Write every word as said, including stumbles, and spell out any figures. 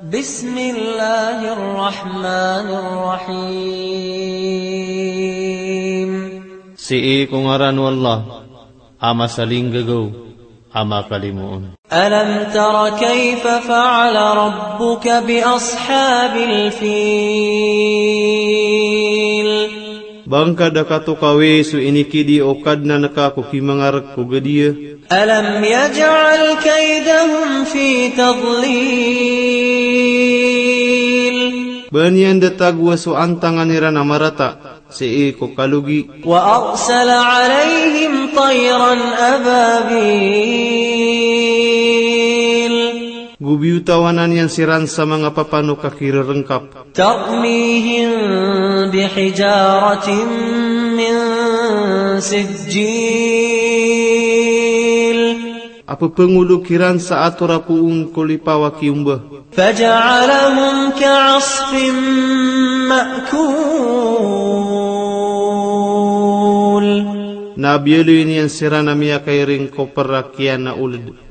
بسم الله الرحمن الرحيم. Sii ko ngaran o Allah a masalinggagaw a makalimoon. ألم تر كيف فعل ربك بأصحاب الفيل؟ Ba ngka da katokawi so inikidi o Kadnan ka ko kimangarek ko gadiya? ألم يجعل كيدهم في تضليل؟ Ba niyan da tagowa so antangan iran a marata sii ko kalogi? وأرسل عليهم طيرا أبابيل. Go biyotawan iyan siran sa manga papanok a kirerengkap. ترميهم بحجارة من سجيل. A pepengolok iran sa ator a poon ko lipaw a kiyomba. فجعلهم كعصف مأكول. Na biyaloy niyan siran a miyakairing ko perak iyan a oled.